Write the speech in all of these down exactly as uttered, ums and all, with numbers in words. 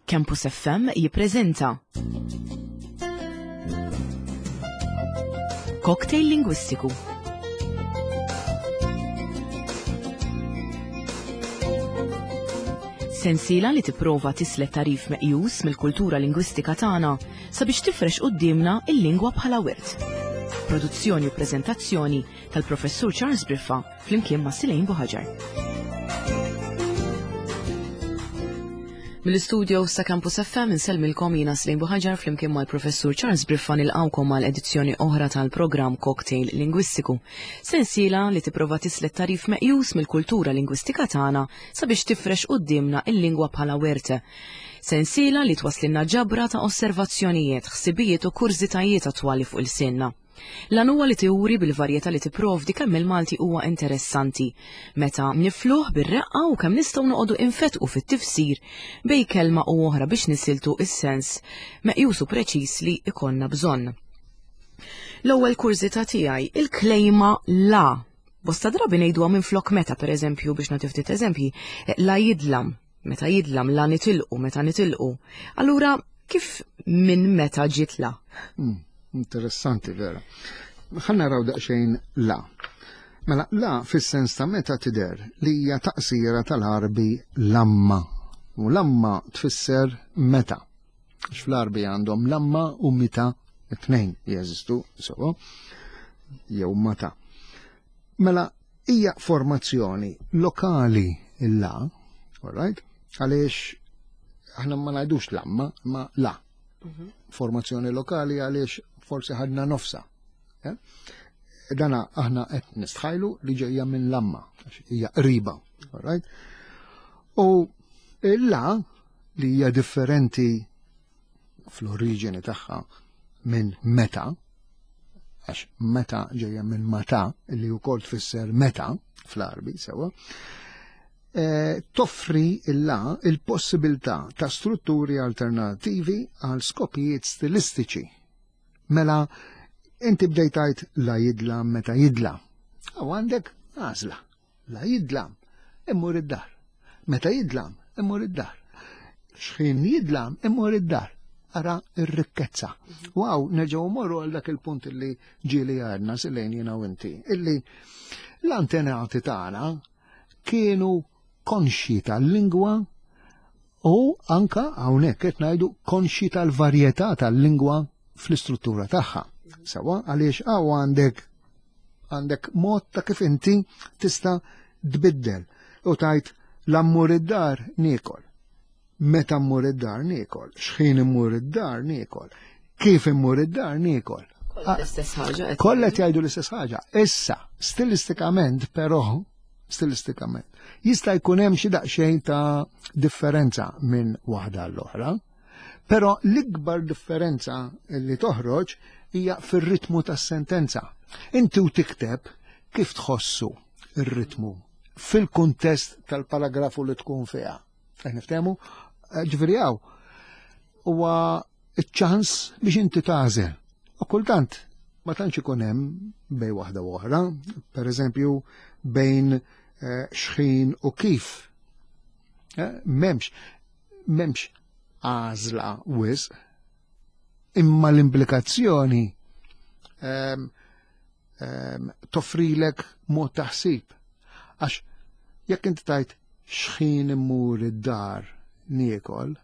Campus F M jippreżenta Cocktail Lingwistiku. Sensiela li tipprova tislet tarif meqjus mill-kultura lingwistika tagħna sabiex tifrex quddiemna il-lingwa bħala wirt. Produzzjoni u preżentazzjoni tal-Professur Charles Briffa flimkien ma' Silejn Buħaġar. Mill-istudio sa Campus F M insellmilkom jiena Silejn Buħaġar flimkien mal-Professur Charles Briffa nilqgħukom għal edizzjoni oħra tal-programm Cocktail Lingwistiku. Sensiela li tipprova tislet tarif meqjus mill-kultura lingwistika tagħna sabiex tifrex quddiemna il-lingwa bħala werte. Sensiela li twaslinna ġabra ta' osservazzjonijiet, ħsibijiet u kurżitajiet attwali fuq il-sinna. Lan huwa li tiuri bil-varjetà li tipprovdi kemm il-Malti huwa interessanti, meta nifluh bir-reqqa u kemm nistgħu noqogħdu infetqu fit-tifsir bej kelma u oħra biex nisiltu is-sens meqjus u preċiż li ikollna bżonn. L-ewwel kurżità tiegħi, il-klejma la. Bosta drabi ngħiduha minflok meta, pereżempju, biex nagħti ftit eżempji, la jidlam, meta jidlam, la nitilqu, meta nitilqu. Allura, kif minn meta ġiet la? Hmm. Interessanti, vera. Ħa naraw daqsxejn la. Mela, la fis-sens ta' meta tidher li hija taqsira tal-Għarbi lamma. U lamma tfisser meta. Għax fl-Għarbi għandhom lamma u mita, it-tnejn jeżistu, so, jew mata. Mela, hija formazzjoni lokali il-la, all right? Għaliex aħna ma ngħidux lamma, ma la. Mhm. Formazzjoni lokali għaliex forsi ħadna nofsa. Eh? Dana aħna qed nistħajlu li ġejja minn lamma, għax hija qriba, all right? U la li hija differenti fl-oriġini tagħha minn meta, għax meta ġejja minn mata, li wkoll tfisser meta fl-Għarbi, sewa, eh, toffri la il-possibilità ta' strutturi alternativi għal skopijiet stilistiċi. Mela, inti bdejt tgħid la jidla meta jidla. Aw għandek għażla. La jidla, immur id-dar. Meta jidla, immur id-dar. X'ħin jidla, immur id-dar. Ara r-rikkezza. Waw, nerġgħu morru għal dak il-punt illi ġieli għadna silejn jiena u inti, illi l-antenati tagħna kienu konxji tal-lingwa u anka hawnhekk qed ngħidu konxji tal-varjetà tal-lingwa fl-istruttura tagħha. Sewa, għaliex hawn għandek, għandek mod ta' kif inti tista' tbiddel u tajt l-ammur id-dar niekol. Meta mmur id-dar niekol, x'ħin immur id-dar niekol, kif immur id-dar niekol. Kollha l-istess ħaġa, qed Kollha qed jgħidu l-istess ħaġa. Issa, stilistikament però, stilistikament, jista' jkun hemm xi daqsxejn ta' differenza minn waħda għall-oħra. Però l-ikbar differenza li toħroġ hija fir-ritmu tas-sentenza. Inti u tikteb kif tħossu ir-ritmu fil-kuntest tal-paragrafu li tkun fiha. Qed niftehmu? Ġifieri hawn huwa ċ-ċans biex inti tagħżel. U kultant ma tantx ikun hemm bejn waħda u oħra, pereżempju bejn, eh, xħin u kif. Eh, m'hemmx, m'hemmx għażla wisq, imma l-implikazzjoni, ehm, ehm, toffrilek mod ta' ħsieb. Għax jekk inti tajt xħin immur id-dar niekol,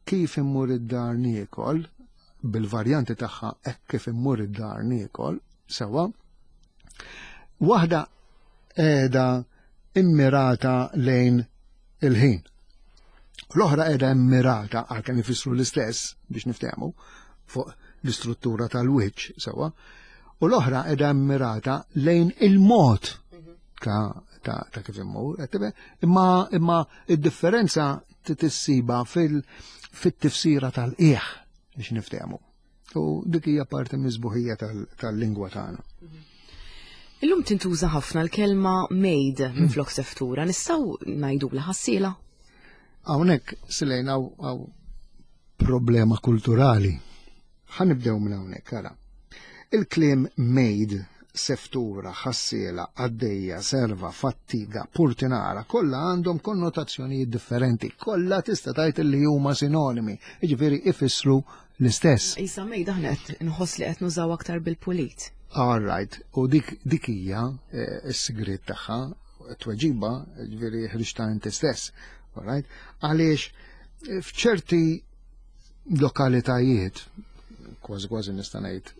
kif immur id-dar niekol, bil-varjanti tagħha hekk kif immur id-dar niekol, sewa, waħda qiegħda immirata lejn il-ħin. L-oħra qiegħda immirata, għalkemm ifissru l-istess biex niftehmu fuq l-istruttura tal-wiċċ sewa, u l-oħra qiegħda immirata lejn il-mod ta', ta', ta' kif immur, qed tibgħet, imma, imma id-differenza tissiba fil-, fit-tifsira tal-qiegħ biex niftehmu. U dik hija parti miż-sbuħija tal-, tal-lingwa tagħna. Illum tintuża ħafna l-kelma maid minn flok seftura, nistgħu ngħidulha ħassiela? Hawnhekk silejna hawn, hawn problema kulturali. Ħa nibdew minn hawnhekk, ara. Il-kliem maid Seftura, ħassiela, għaddejja, serva, fattiga, purtinara, kollha għandhom konnotazzjonijiet differenti, kollha tista' tgħid li huma sinonimi, jiġifieri ifissru l-istess. Isa maid aħna qed nħoss li qed nużaw aktar bil-pulit. All right, u dik dik hija eh, s-sigriet tagħha, tweġiba, ġifieri ħriġta inti stess. All right? Għaliex eh, f'ċerti lokalitajiet, kważi kważi nista' ngħid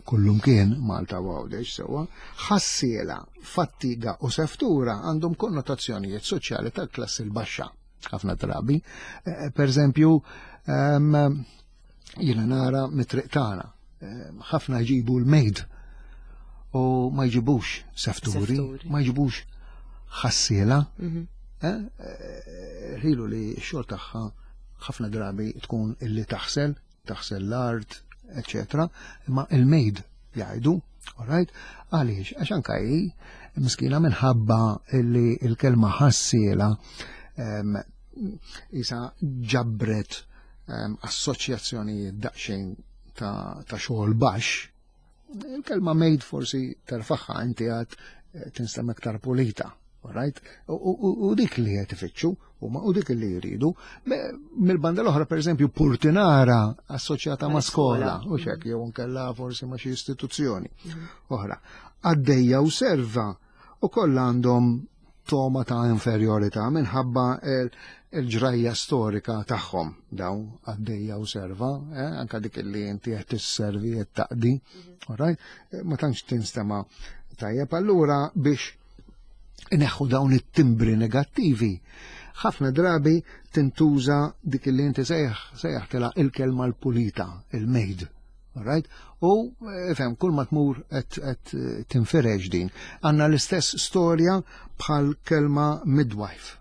kullum kien Malta u Għawdex sewwa, ħassiela, fattiga u seftura għandhom konnotazzjonijiet soċjali tal-klassi l-baxxa ħafna drabi. Eh, Per eżempju, ehm, jiena nara mit-triq tagħna, ehm, ħafna jġibu l-maid u ma jġibux sefturi, Sefturi. ma jġibux ħassiela. Mhm. Eh, eh, Ħilu li x-xogħol tagħha ħafna drabi tkun illi taħsel, taħsel l-art, eccetera. Imma il-maid jgħidu, alright? Għaliex, għax anka hi miskina minħabba illi il-kelma ħassiela em, isa ġabret em, assoċjazzjonijiet daqsxejn ta', ta' xogħol baxx, il-kelma maid forsi terfaħħa inti għad eh, tinstem iktar pulita. Alright? U, u, u dik li qed ifittxu, huma u dik li jridu. Me- Mill-banda l-oħra, per eżempju, purtinara assoċjata ma' skola, u xek, jew nkella forsi ma' xi istituzzjoni oħra. Għaddejja u serva u kollha għandhom toma ta' inferjorità minħabba il- il-ġrajja storika tagħhom dawn għaddejja u serva, eh, anka dik li inti qed tisservi qed taqdi, alright? Eh, Ma tantx tinstema' tajjeb allura biex ineħħu dawn it-timbri negattivi. Ħafna drabi tintuża dik li inti sejjaħ sejjaħtilha il-kelma l-pulita, il-maid. Alright? U eh, fem, kull ma tmur qed qed tinfirex din. Għandna l-istess storja bħal kelma midwife.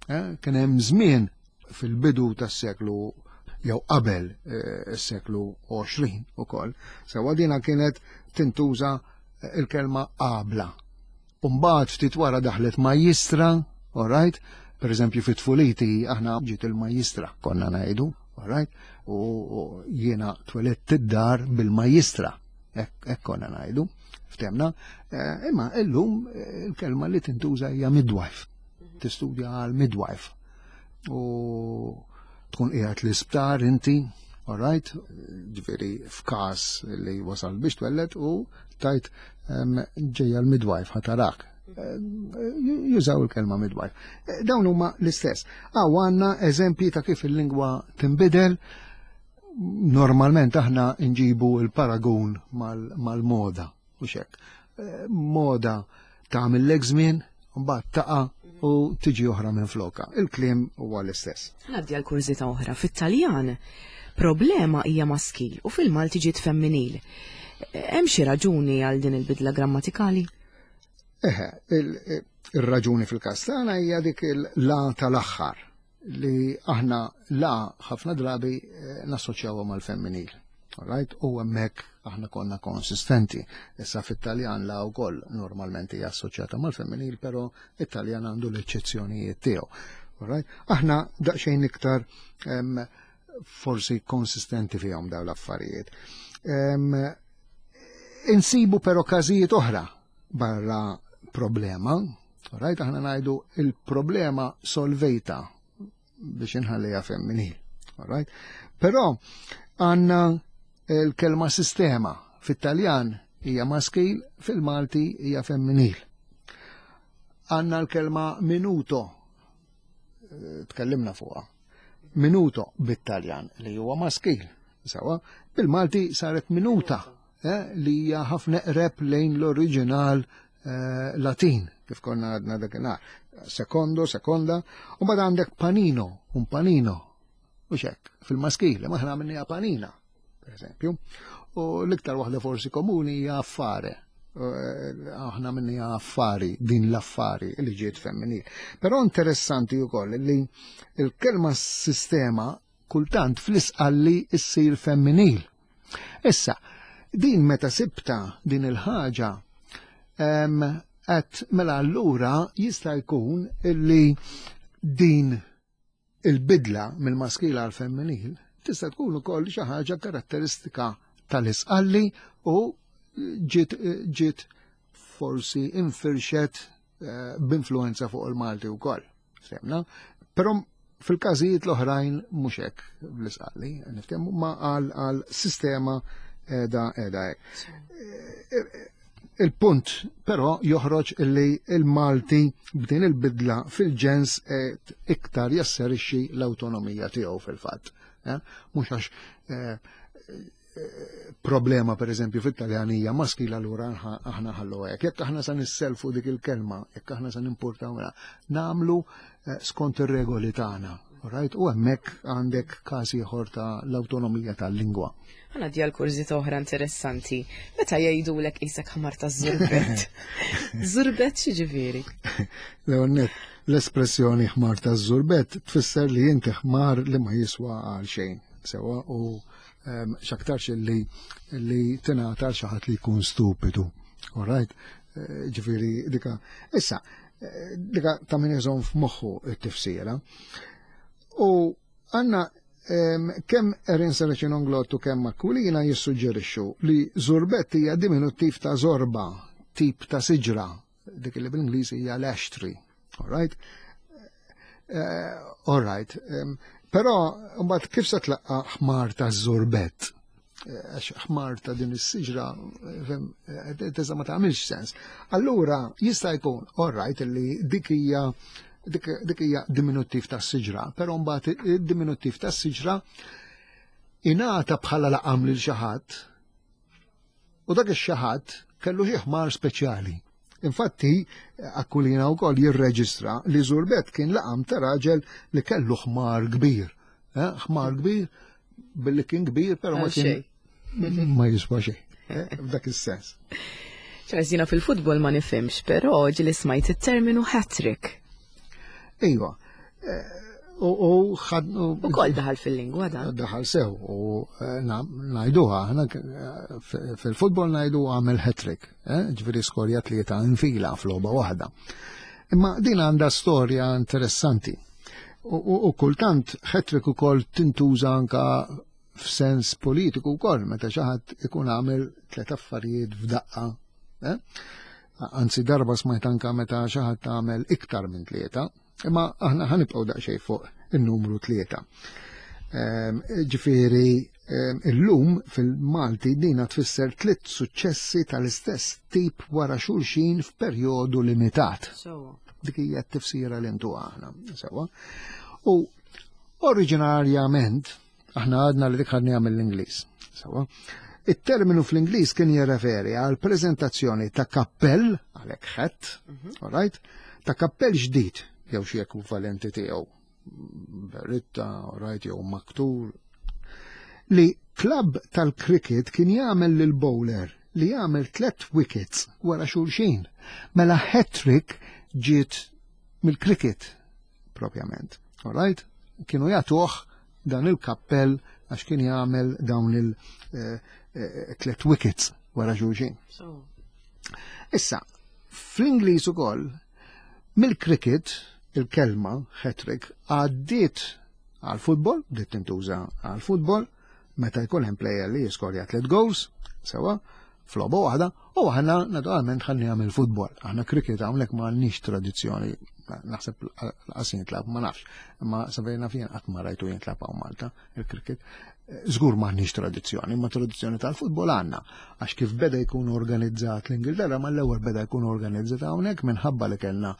Eh, Kien hemm żmien fil-bidu tas-seklu jew qabel eh, is-seklu għoxrin ukoll. Sewwa dina kienet tintuża eh, il-kelma qabla. Umbagħad ftit wara daħlet majjistra, all right? Per eżempju fit tfuliti aħna ġiet il-majjistra, konna ngħidu, all right? U u jiena twelidt id-dar bil-majjistra, hekk hekk konna ngħidu, ftemna. Eh, Imma illum eh, il-kelma li tintuża hija midwife. Tistudja għal midwife. U tkun qiegħed l-isptar inti, all right? Ġifieri f'każ li wasal biex twelled u tajt em, ġejja l-midwife ħa tarak. Eh, Jużaw il-kelma midwife. Eh, Dawn huma l-istess. Għaw għandna eżempji ta' kif il-lingwa tinbidel. Normalment aħna nġibu il-paragun mal- mal-moda u xek. Eh, Moda tagħmel żmien, mbagħad taqa' u tiġi oħra minn floka. Il-kliem huwa l-istess. Ngħaddi għal kurżità oħra. Fit-Taljan, problema hija maskil u fil-Malti ġiet femminil. Hemm xi raġuni għal din il-bidla grammatikali? Eħe, il- il-raġuni fil-każ tagħna hija dik il-la tal-aħħar li aħna la ħafna drabi eh, nassoċjawha mal-femminil. Alright? U hemmhekk aħna konna konsistenti. Issa fit-Taljan la wkoll normalment hija assoċjata mal-femminil, però it-Taljan għandu l-eċċezzjonijiet tiegħu. Alright? Aħna daqsxejn iktar em, forsi konsistenti fihom dawn l-affarijiet. Em, insibu però każijiet oħra barra problema, right? Aħna ngħidu il-problema solvejta biex inħallija femminil, right? Però għandna il-kelma sistema fit-Taljan hija maskil, fil-Malti hija femminil. Għandna l-kelma minuto, eh, tkellimna fuqha. Minuto bit-Taljan li huwa maskil, sawa, bil-Malti saret minuta eh, li hija ħafna eqreb lejn l-oriġinal eh, Latin, kif konna għadna dakinhar. Secondo, seconda, u mbagħad għandek panino, un panino, u xek, fil-maskil, ma aħna għamilniha panina, per eżempju. U l-iktar waħda forsi komuni hija affare. Eh, Aħna għamilniha affari, din l-affari li ġiet femminil. Però interessanti wkoll li il-kelma sistema kultant fl-isqalli issir femminil. Issa, din meta sibta din il-ħaġa, em, għedt mela allura jista' jkun illi din il-bidla mill-maskil għal femminil tista' tkun ukoll xi ħaġa karatteristika tal-isqalli u ġiet ġiet forsi infirxet eh, b'influenza fuq il-Malti wkoll. Semna, però fil-każijiet l-oħrajn mhux hekk bl-Isqalli, niftehmu ma għal għal sistema qiegħda qiegħda hekk. Il-punt però joħroġ illi il-Malti b'din il-bidla fil-ġens qed iktar jasserixxi l-awtonomija tiegħu fil-fatt. Eh? Mhux għax eh, problema per eżempju fit-Taljanija maskil allura aħna ħallu hekk. Jekk aħna sa nisselfu dik il-kelma, jekk aħna sa nimportaw nagħmlu eh, skont ir-regoli tagħna. Right? U hemmhekk għandek każ ieħor ta' l-awtonomija tal-lingwa. Għana di għal oħra interessanti. Meta jgħidulek qisek ħmar ta' żurbett. Żurbett x'jiġifieri? L-ewwel l-espressjoni ħmar ta' żurbett tfisser li inti ħmar li ma jiswa għal xejn. Sewa u x'aktarx li li tingħata xi ħadd li jkun stupidu. All right? Eh, ġifieri dika. Issa, eh, dika ta' min iżomm f'moħħu t-tifsira. U għandna kemm Erin Serracino Inglott u kemm Aquilina jissuġġerixxu li żurbett hija diminuttiv ta' zorba, tip ta' siġra, dik li bl-Ingliż hija l-ash tree. All right? Uh, all right. Um, però mbagħad kif se tlaqqa ħmar ta' żurbett? Eh, għax ħmar ta' din is-siġra eh, tista' ma tagħmilx sens. Allura jista' jkun, all right, li dik hija dik hija diminuttiv tas-siġra, però mbagħad id-diminuttiv tas-siġra ingħata bħala laqam lil xi ħadd u dak ix-xi ħadd kellu xi ħmar speċjali. Infatti, Aquilina wkoll jirreġistra li Żurbett kien laqam ta' raġel li kellu ħmar kbir. Eh, ħmar kbir billi kien kbir, però ma kien ma jiswa xejn. Eh, f'dak is-sens. Charles, jiena fil-futbol ma nifhimx, però ġieli smajt it-terminu hat-trick. Iva. Eh, u ħad. U kol daħal fil-lingwa dan. Daħal sew u eh, ngħiduha, aħna fil-futbol ngħidu għamel hat-trick, ġifieri skorja tlieta infila f'logħba waħda. Imma din għandha storja interessanti. U kultant hat-trick ukoll tintuża anka f'sens politiku wkoll, meta xi ħadd ikun għamel tliet affarijiet f'daqqa. Eh? Anzi darba smajt anka meta xi ħadd għamel iktar minn tlieta, imma aħna ħa nibqgħu daqsxejn fuq in-numru tlieta. Ehm, ġifieri ehm, illum fil-Malti dina tfisser tliet suċċessi tal-istess tip wara xulxin f'perjodu limitat. Dik hija t-tifsira li ntu aħna. Sewa. U oriġinarjament aħna għadna li dik ħadniha mill-Ingliż. Sewa. Il-terminu fl-Ingliż kien jirreferi għal prezentazzjoni ta' kappell, għalhekk hat, mhm. all right, ta' kappell ġdid jew xi ekwivalenti tiegħu, berritta, all right, jew maktur, li klab tal-cricket kien jagħmel lil bowler li jagħmel tlet wickets wara xulxin. Mela hat-trick ġiet mill-cricket propjament. All right? Kienu jagħtuh dan il-kappell għax kien jagħmel dawn il-tlet eh, wickets wara xulxin. Issa, fl-Ingliż ukoll, mill-cricket, il-kelma hat-trick għaddiet għal-futbol, bdiet tintuża għal-futbol, meta jkun hemm player li jiskorja tliet goals, sewa, f'logħba waħda, u aħna naturalment ħadnieha mill-futbol. Aħna cricket hawnhekk ma għandniex tradizzjoni, naħseb lanqas jintlagħab, ma nafx, imma sa fejn naf jien qatt ma rajtu jintlagħab hawn Malta il-cricket. Żgur m'għandniex tradizzjoni, ma tradizzjoni tal-futbol għandna, għax kif beda jkun organizzat l-Ingilterra, ma l-ewwel beda jkun organizzat hawnhekk minħabba li kellna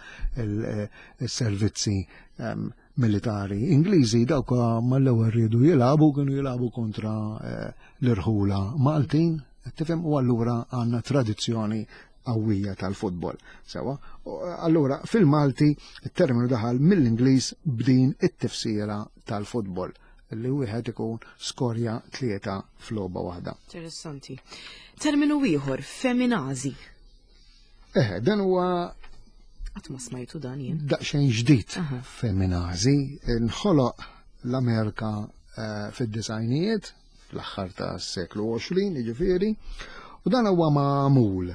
il-servizzi ehm, militari Ingliżi dawk mal-ewwel riedu jilagħbu kienu jilagħbu kontra eh, l-irħula Maltin, tifhem u allura għandna tradizzjoni qawwija tal-futbol. Sewa, allura fil-Malti il-terminu daħal mill-Ingliż b'din it-tifsira tal-futbol li wieħed ikun skorja tlieta f'logħba waħda. Interessanti. Terminu ieħor, feminazi. Eh, dan huwa Qatt ma smajtu dan jien. Daqsxejn ġdid feminazi, nħoloq l-Amerika eh, fid-disgħinijiet, fl-aħħar ta' seklu għoxrin, jiġifieri, u dan huwa magħmul.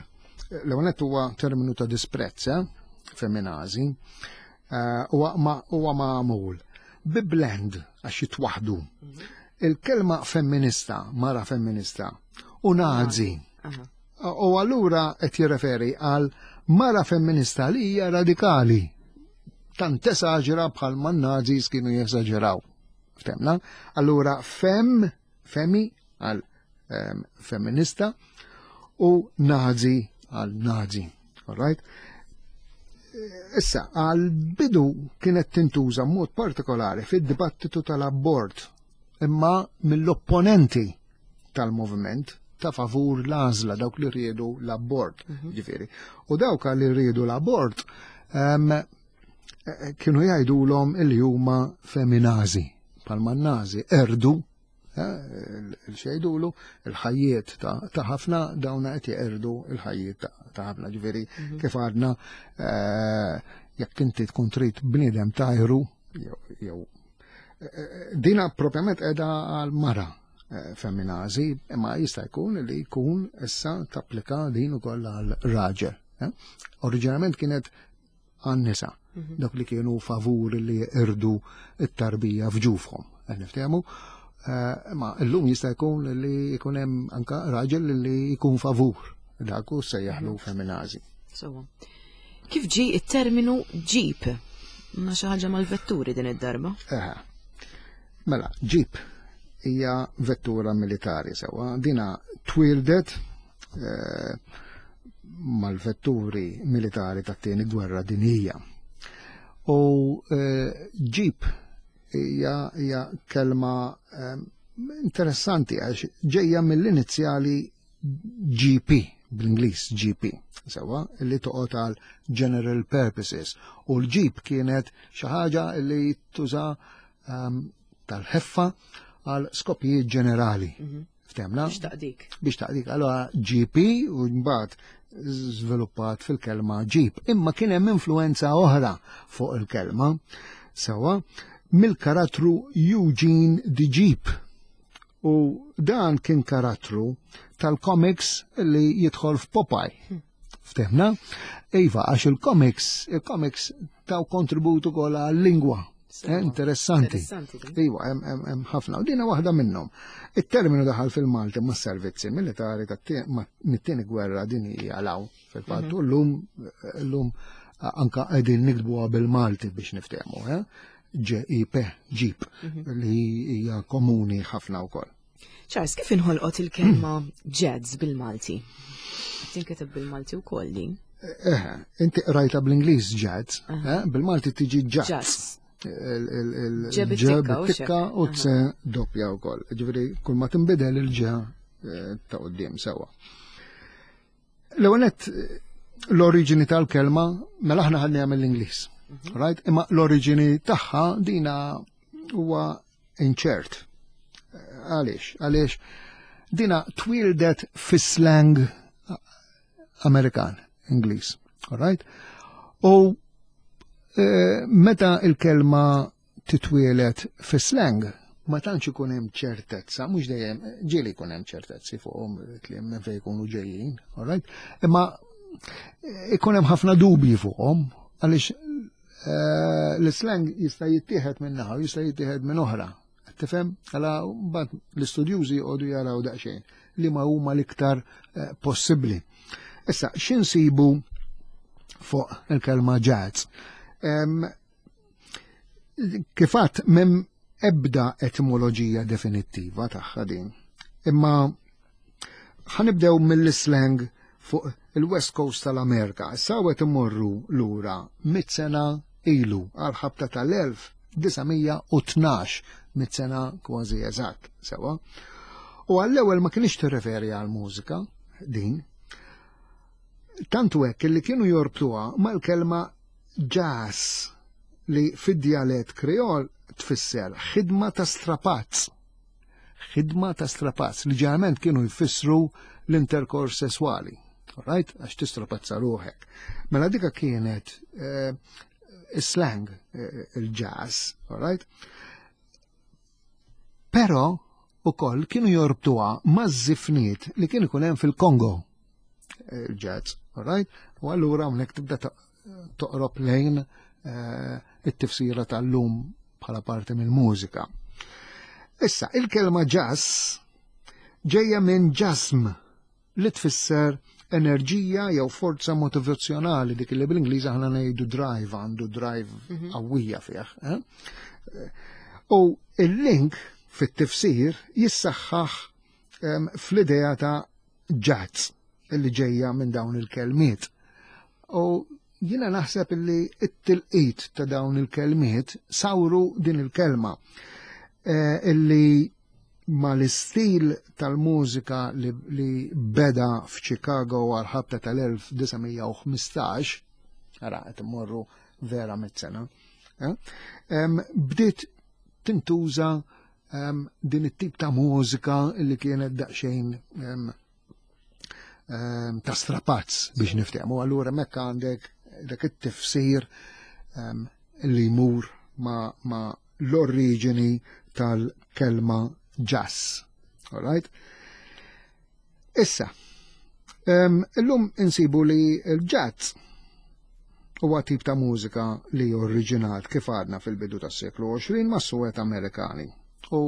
L-ewwel huwa terminu ta' disprezz, eh, feminazi, eh, huwa magħmul bi blend għax jitwaħdu. Mhm. Il-kelma femminista, mara femminista, u nazi. U allura qed jirreferi għal mara femminista li hija radikali. Tant tesaġera bħal man-Nazis kienu jesaġeraw. Ftemna? Allura fem, femi għal um, femminista u nazi għal nazi. All right? Issa, għal bidu kienet tintuża mod partikolari fid-dibattitu tal-abort, imma mill-opponenti tal-moviment ta' favur l-għażla, dawk li riedu l-abort, mhm. ġifieri. U dawk li riedu l-abort um, kienu jgħidulhom il huma feminazi, palma nazi erdu il-xejdulu il-ħajjiet ta' ħafna, dawna qed jeqerdu il-ħajjiet ta' ħafna, ġifieri mhm. kif għadna, eh, jekk inti tkun trid bniedem tajru jew eh, dina propjament qiegħda għal mara eh, feminazi, imma jista' jkun li jkun issa tapplika din ukoll għal raġel. Oriġinament kienet għan-nisa, mhm. dawk li kienu favur li irdu it-tarbija f'ġufhom. Niftehmu? Eh, ma llum jista' jkun li jkun hemm anka raġel li jkun favur dak u sejjaħlu mhm. feminazi. Sewwa. Kif ġi it-terminu ġip? Ma xi ħaġa mal-vetturi din id-darba? Eħe. Mela, ġip hija vettura militari, sewwa. Dina twildet eh, mal-vetturi militari tat-tieni gwerra dinjija. U eh, ġip hija hija kelma eh, interessanti għax ġejja mill-inizjali G P, bl-Ingliż G P, sewwa, li toqgħod għal General Purposes. U l-Jeep kienet xi ħaġa li tuża um, tal-ħeffa għal skopijiet ġenerali. Mhm. Ftemna? Biex taqdik. Biex taqdik. Allora G P u mbagħad żviluppat fil-kelma Jeep. Imma kien hemm influenza oħra fuq il-kelma. Sewwa, mill-karattru Eugene the Jeep. U dan kien karattru tal-comics li jidħol f'Popeye. Ftemna? Iva, għax il-comics, il-comics taw kontributu ukoll għal-lingwa. Eh, interessanti. Iva, hemm ħafna. U dina waħda minnhom. Il-terminu daħal fil-Malti ma' servizzi militari mit-tieni gwerra dinjija law fil-fatt. Mhm. U llum llum anka qegħdin niktbuha bil-Malti biex niftehmu, eh? G I P, Jeep, mhm. li hija komuni ħafna wkoll. Charles, kif inħolqot il-kelma jazz bil-Malti? Tinkiteb bil-Malti wkoll din? Eh, inti rajta bl-Ingliż jazz, eh, bil-Malti tiġi jazz. Il-ġe tikka u t doppja wkoll. Ġifieri kull ma tinbidel il-ġe eh, ta' quddiem, sewwa. L-ewwel l-oriġini tal-kelma, mela aħna ħadniha mill-Ingliż. Mhm. Right? Imma l-oriġini tagħha dina huwa inċert. Għaliex? Għaliex dina twildet fi slang Amerikan, Ingliż. Right? U e, meta il-kelma titwielet fi slang, ma tantx ikun hemm ċertezza, mhux dejjem, ġieli jkun hemm ċertezzi fuqhom li minn fejn jkunu ġejjin, all right? Imma ikun hemm ħafna dubji fuqhom għaliex eh, l-slang jista' jittieħed minn naħa u jista' jittieħed minn oħra. Tifhem? Għala mbagħad l-istudjużi jqogħdu jaraw daqsxejn li ma huma l-iktar eh, possibbli. Issa, x'insibu fuq il-kelma jazz? Kifat, m'hemm ebda etimoloġija definittiva tagħha din. Imma ħa nibdew mill-slang fuq il-West Coast tal-Amerika. Sawet imorru lura mit sena ilu, għal-ħabta tal-elf disa' mija u tnax, mit sena kważi eżatt, sewwa. U għall-ewwel ma kienx tirreferi għal mużika din. Tantu hekk li kienu jorbtuha mal-kelma jazz, li fid-djalett Kreol tfisser ħidma ta' strapazz. Ħidma ta' strapazz li ġeneralment kienu jfissru l-interkors sesswali. Right? Għax tistrapazza ruħek. Mela dika kienet eh, slang eh, il-jazz, right? Però ukoll kienu jorbtuha maż-żifniet li kien ikun hemm fil-Kongo il-jazz, right? U allura hawnhekk tibda toqrob lejn eh, it-tifsira tal-lum bħala parti mill-mużika. Issa, il-kelma jazz ġejja minn ġasm, li tfisser enerġija jew forza motivazzjonali, dik li bl-Ingliż aħna ngħidu drive, għandu drive mhm. qawwija fih. Eh? U il-link fit-tifsir jissaħħaħ fl-idea ta' jazz illi ġejja minn dawn il-kelmiet. U jiena naħseb illi it-tilqit ta' dawn il-kelmiet sawru din il-kelma eh, illi ma l-istil tal-mużika li, li beda f'Chicago għal-ħabta tal-elf disa' mija u ħmistax, ara qed immorru vera mit-sena, eh? Bdiet tintuża din it-tip ta' mużika li kienet daqsxejn ta' strapazz biex niftehmu. Allura mekka għandek dak it-tifsir li jmur ma, ma l-oriġini tal-kelma jazz. All right? Issa, illum insibu li l-jazz huwa tip ta' mużika li oriġinat, kif għadna fil-bidu tas-seklu għoxrin, ma' suwed Amerikani. U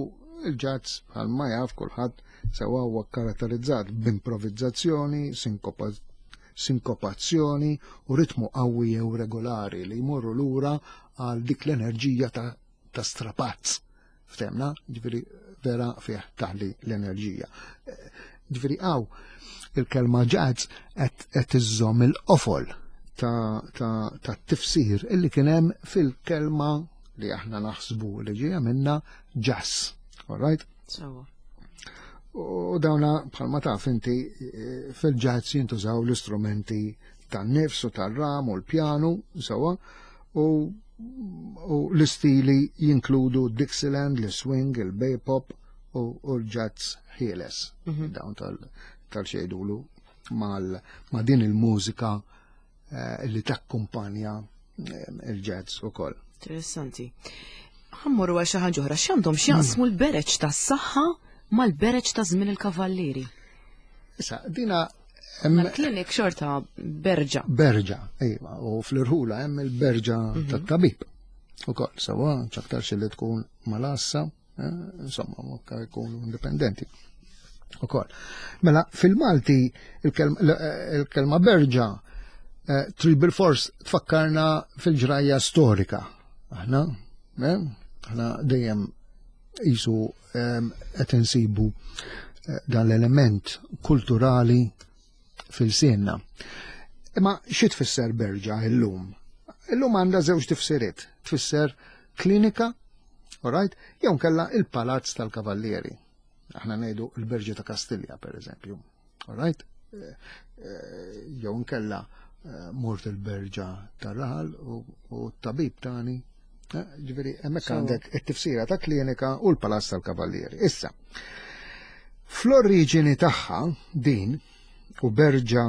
il-jazz, bħalma jaf kulħadd sewa, huwa karatterizzat b'improvizzazzjoni, sinkopazzjoni u ritmu qawwi jew regolari li jmorru lura għal dik l-enerġija ta', ta strapazz. Ftehmna, ġifieri vera fih taħli l-enerġija. Ġifieri hawn il-kelma jazz qed iżżomm il-qofol ta', ta, ta tifsir illi kien hemm fil-kelma li aħna naħsbu li ġejja minna jazz. All right? So. U dawna, bħalma taf inti, eh, fil-jazz jintużaw l-istrumenti tan-nifs u tar-ram u l-pjanu, sewa, u, u l-istili jinkludu Dixieland, l-swing, il-bebop u, u l-jazz ħieles. Mm -hmm. Dawn tal-xejdulu mal, ma din il-mużika eh, li takkumpanja eh, il-jazz u koll. Interessanti. Ħa mmorru għal xi ħaġa oħra, x'għandhom x'jaqsmu l-bereġ tas-saħħa mal-bereġ ta' żmien il-kavallieri? Issa, dina Mal-klinik xorta berġa. Berġa, iva, u fl-irħula hemm il-berġa mhm. tat-tabib. U koll, sewa, ċaktar li tkun mal-għassa, eh, insomma, mokka jkunu indipendenti. U koll. Mela, fil-Malti il-kelma berġa eh, trid bil-fors tfakkarna fil-ġrajja storika. Aħna, eh, aħna dejjem jisu qed insibu dan l-element kulturali fil-sinna. Imma xi tfisser berġa illum? Illum għandha żewġ tifsiriet. Tfisser klinika, alright, jew kella il-palazz tal-kavallieri. Aħna ngħidu l-Berġa ta' Kastilja, per eżempju. Alright? Eh, eh, jew nkella eh, mort il-berġa tar-raħal u t-tabib tani. Ġifieri, hemmhekk għandek it-tifsira ta' klinika u l-palazz tal-kavallieri. Issa, fl-oriġini tagħha din u berġa,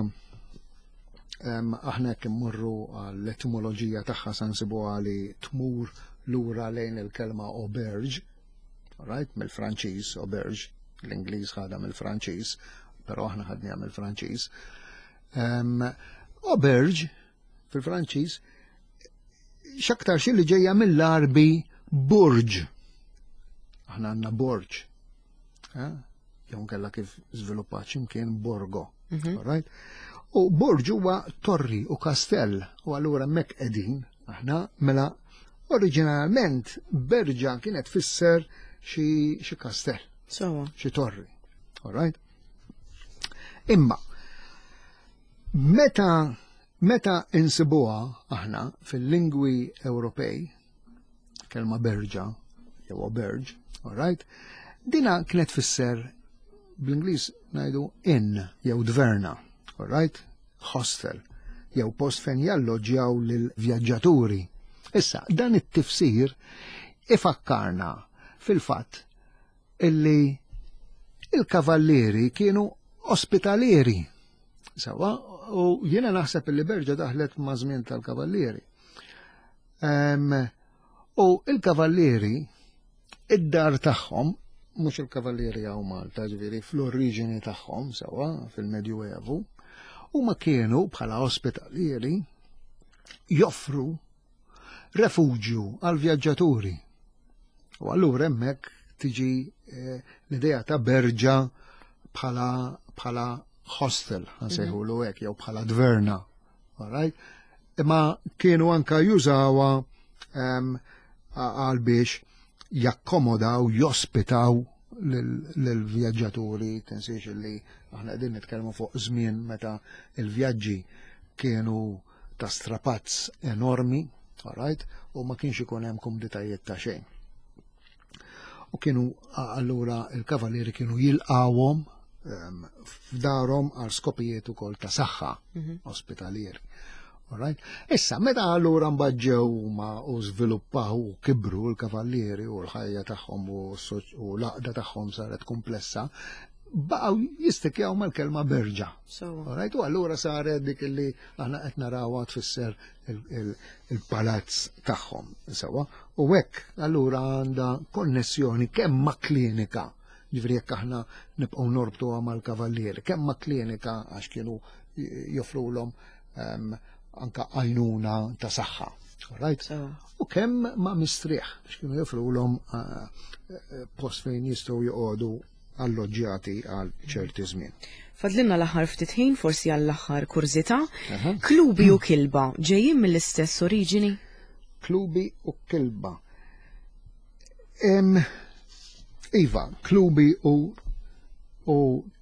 aħna jekk immorru għall-etimoloġija tagħha sa nsibuha li tmur lura lejn il-kelma auberge, right, mill-Franċiż auberge, l-Ingliż ħadha mill-Franċiż, però aħna ħadniha mill-Franċiż. Auberge fil-Franċiż x'aktar xi li ġejja mill-Arbi burġ. Aħna għandna borġ. Jew kella kif żviluppat x'imkien borgo. Mhm. Right? U borġ huwa torri u kastell u allura hemmhekk qegħdin aħna. Mela oriġinalment berġa kienet tfisser xi xi kastell, xi torri. All right? Imma meta meta insibuha aħna fil-lingwi Ewropej, kelma berġa jew auberge, all right? Dina kienet tfisser, bl-Ingliż ngħidu inn jew dverna, all right? Hostel, jew post fejn jalloġġjaw lil vjaġġaturi. Issa, dan it-tifsir ifakkarna fil-fatt illi il-kavallieri kienu ospitalieri. Sewa, u jiena naħseb illi berġa daħlet ma' żmien tal-kavallieri. Um, u il-kavallieri, id-dar tagħhom, mhux il-kavallieri hawn Malta, ġifieri fl-oriġini tagħhom, sewa, fil-Medjuevu, huma kienu bħala ospitalieri joffru refuġju għal vjaġġaturi. U allura hemmhekk tiġi eh, l-idea ta' berġa bħala bħala hostel, nsejħulu hekk, jew bħala dverna. Alright? Imma kienu anka jużawha em, għal biex jakkomodaw, jospitaw lill-vjaġġaturi. Tinsiex li aħna qegħdin nitkellmu fuq żmien meta il-vjaġġi kienu ta' strapazz enormi, alright, u ma kienx ikun hemm kumditajiet ta' xejn. U kienu allura il-kavalieri kienu jilqawhom um, f'darhom għal skopijiet ukoll ta' saħħa ospitalieri. Alright? Issa, meta allura mbagħad ġew huma u żviluppaw u kibru l-kavallieri u l-ħajja tagħhom u s-soċ- u l-għaqda tagħhom saret komplessa, baqgħu jistikjaw mal-kelma berġa. So, Alright, u allura saret dik li aħna qed narawha tfisser il- il- il-palazz tagħhom. Sewwa, u hekk allura għandha konnessjoni kemm ma' klinika, ġifieri jekk aħna nibqgħu norbtuha mal-kavallieri, kemm ma' klinika għax kienu joffrulhom um, anka għajnuna ta' saħħa. Alright? so. U kemm ma' mistrieħ, għax kienu joffrulhom uh, uh, post fejn jistgħu joqogħdu alloġġjati għal ċerti żmien. Fadlinna l-aħħar ftit ħin, forsi għall-aħħar kurżità. Klubi u kilba ġejjin mill-istess oriġini? Klubi u kilba. Em, iva, klubi u u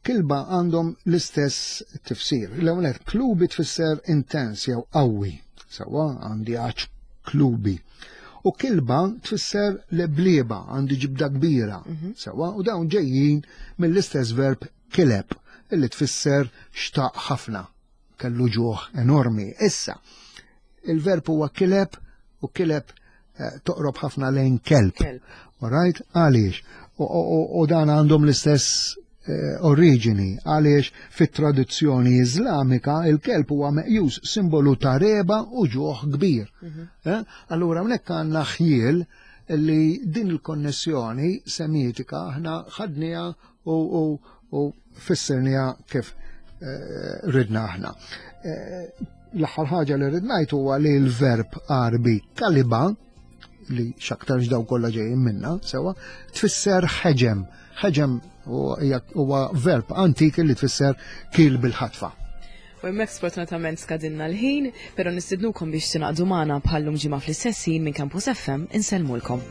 kilba għandhom l-istess tifsir. L-ewwel klubi tfisser intens jew qawwi. Sewwa, għandi għatx klubi. U kilba tfisser leblieba, għandi ġibda kbira. Sewwa, u dawn ġejjin mill-istess verb kileb, illi tfisser xtaq ħafna, kellu ġuħ enormi. Issa, il-verb huwa kileb u kileb eh, toqrob ħafna lejn kelb. Kelb. Alright? Għaliex? U, u, u dan għandhom l-istess eh, oriġini, għaliex fit-tradizzjoni iżlamika il-kelb huwa meqjus simbolu ta' regħba u ġuħ kbir. Eh? Allura hawnhekk għandna ħjiel li din il-konnessjoni semitika aħna ħadniha u, u, u fissirniha kif eh, ridna aħna. Eh, L-aħħar ħaġa li rrid ngħid huwa li l-verb Għarbi kaliba, li x'aktarx daw kollha ġejjin minna, sewwa, tfisser ħeġem. Ħeġem huwa verb antik li tfisser kil bil-ħatfa. U hemmhekk sfortunatament skadinna l-ħin, però nistidnukom biex tingħaqdu magħna bħal-lum ġimgħa fl-istess ħin minn Campus F M. Insellmulkom.